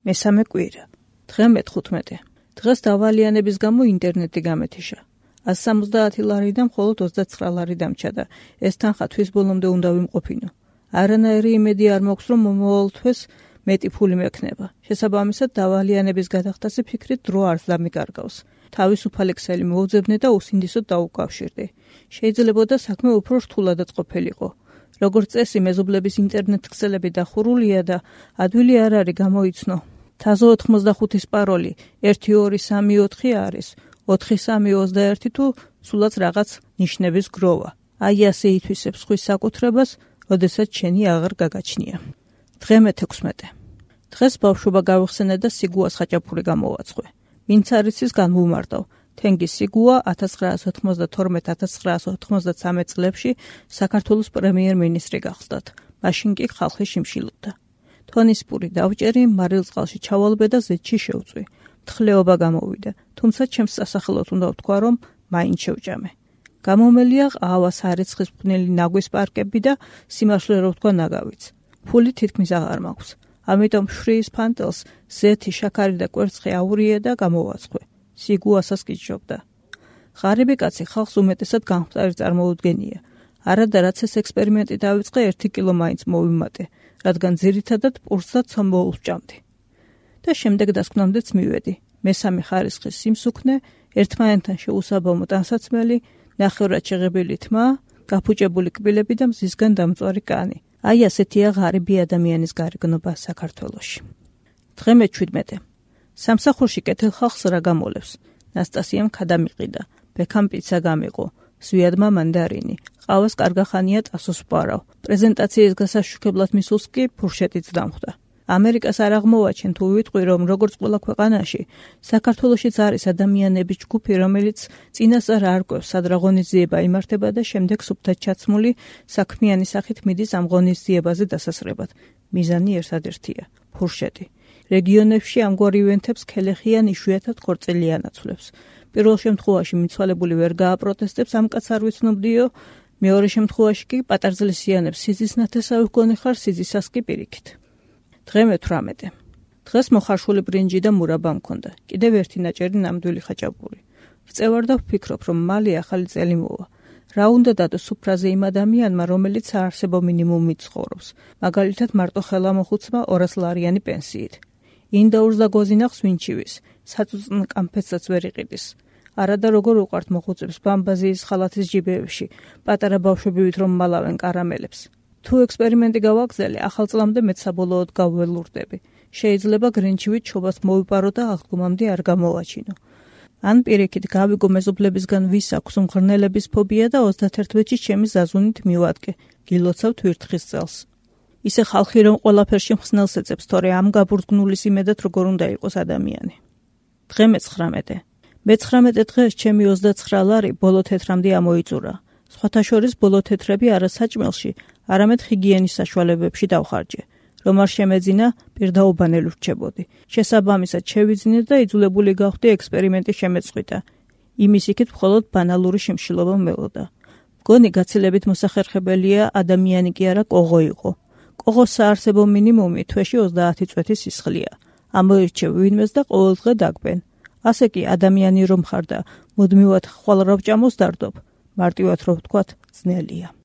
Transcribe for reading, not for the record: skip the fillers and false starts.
მესამე კვირა. დღე მე-15. დღეს დავალიანების გამო ინტერნეტი გამეთიშა. 170 ლარიდან მხოლოდ 29 ლარი დამჭა და ეს თანხა თვის ბოლომდე უნდა ვიმყოფინო. არანაირი იმედი არ მაქვს, რომ მომავალ თვეს მეტი ფული მექნება. შესაბამისად, დავალიანების გადახდაზე ფიქრით დრო არც დამიკარგავს. თავისუფალი ქსელი მოვძებნე და უსინდისოდ დაუკავშირდი. შეიძლებოდა საქმე უფრო რთულადაც ყოფილიყო. როგორც წესი, მეზობლების ინტერნეტ ქსელები დახურულია და ადვილი არ არის გამოიცნო. თაზო 85-ის პაროლი 1234 არის, 4321 თუ სულაც რაღაც ნიშნების გროვა. აი ასე ითვისებს ხვის საკუთრებას, როდესაც შენი აღარ გაგაჩნია. დღე მე-16. დღეს ბავშვობა გავიხსენე და სიგუას ხაჭაპური გამოვაცხვე. ვინც არის ის განვუმარტავ. თენგის სიგუა 1992-1993 წლებში საქართველოს პრემიერ-მინისტრი გახსდათ. მაშინ კი ხალხი შიმშილობდა. თონის პური დავჭერი, მარილწყალში ჩავალბე და ზეთში შევწვი. თხლეობა გამოვიდა, თუმცა ჩემს სასახელოდ უნდა ვთქვა, რომ მაინც შევჭამე. გამომელია ყავას არიცხის ფნელი ნაგვის პარკები და სიმართლე რო ვთქვა ნაგავიც. ფული თითქმის აღარ მაქვს. ამიტომ შრის ფანტელს ზეთი, შაქარი და კვერცხი აურიე და გამოვაცხვე. სიგუასაც გიჯობდა. ღარიბი კაცი ხალხს უმეტესად გამხდარი წარმოუდგენია. არადა რაც ეს ექსპერიმენტი დავიწყე 1 კილო მაინც მოვიმატე, რადგან ძირითადად პურს და ცომბოლს ვჭამდი. და შემდეგ დასკვნამდეც მივედი. მესამე ხარისხის სიმსუქნე, ერთმანეთთან შეუსაბამო ტანსაცმელი, ნახევრად შეღებილი თმა, გაფუჭებული კბილები და მზისგან დამწვარი კანი. აი ასეთია ღარიბი ადამიანის გარეგნობა საქართველოში. დღე მე-17. სამსახურში კეთილ ხალხს რა გამოლევს. ნასტასიამ ქადამიყიდა, ბექამ პიცა გამიყო, ზვიადმა მანდარინი, ყავას კარგახანია ტასოს ვპარავ. პრეზენტაციის გასაშუქებლად მისულს კი ფურშეტიც დამხვდა. ამერიკას არ აღმოვაჩენ თუ ვიტყვი, რომ როგორც ყველა ქვეყანაში, საქართველოშიც არის ადამიანების ჯგუფი, რომელიც წინასწარ არ კვევს, სად რა ღონისძიება იმართება და შემდეგ სუფთად ჩაცმული საქმიანი სახით მიდის ამ ღონისძიებაზე დასასრებად. მიზანი ერთადერთია, ფურშეტი. რეგიონებში ამგვარ ივენთებს ქელეხიან იშვიათად ქორწილი ანაცვლებს. პირველ შემთხვევაში მიცვალებული ვერ გააპროტესტებს, ამ კაცს არ ვიცნობდიო, მეორე შემთხვევაში კი პატარძლისიანებს სიზის ნათესავი გქონი ხარ, სიზისას კი პირიქით. დღე მე-18. დღეს მოხარშული ბრინჯი და მურაბა მქონდა. კიდევ ერთი ნაჭერი ნამდვილი ხაჭაპური. ვწევარ და ვფიქრობ, რომ მალე ახალი წელი მოვა. რა უნდა დადო სუფრაზე იმ ადამიანმა, რომელიც საარსებო მინიმუმით ცხოვრობს, მაგალითად მარტო ხელამოხუცმა 200 ლარიანი პენსიით. ინდაურს და გოზინახს ვინჩივის, საწუწნ კამფეტსაც ვერ იყიდის. არადა როგორ უყვართ მოხუცებს ბამბაზიის ხალათის ჯიბეებში, პატარა ბავშვებივით რომ მალავენ კარამელებს. თუ ექსპერიმენტი გავაგზავნე, ახალ წლამდე მეც საბოლოოდ გავველურდები. შეიძლება გრინჩივით ჩობას მოვიპარო და აღდგომამდე არ გამოვაჩინო. ან პირიქით გავიგო მეზობლებისგან ვის აქვს უმღრნელების ფობია და 31-ში ჩემი ზაზუნით მივადგე. გილოცავ თვირთხის წელს. ისე ხალხი რომ ყველაფერში მხსნელს ეწებს, თორე ამ გაბურძგნულის იმედად როგორ უნდა იყოს ადამიანი. დღე მე-19. მე-19 დღეს ჩემი 29 ლარი ბოლო თეთრამდე ამოიწურა. სხვათა შორის ბოლო თეთრები არა საჭმელში, არამედ ჰიგიენის საშუალებებში დავხარჯე. რომ არ შემეძინა, პირდაუბანელი ვრჩებოდი. შესაბამისად შევიძინე და იძულებული გავხდი ექსპერიმენტი შემეწყვიტა. იმის იქით მხოლოდ ბანალური შიმშილობა მელოდა. მგონი გაცილებით მოსახერხებელია ადამიანი კი არა კოღო იყო. კოღოს საარსებო მინიმუმი თვეში 30 წვეთის სისხლია. ამოირჩევ ვინმეს და ყოველ დღე დაგბენ. ასე კი ადამიანი რომ ხარ და მუდმივად ხვალ რა ვჭამოს დარდობ, მარტივად რო ვთქვათ, ძნელია.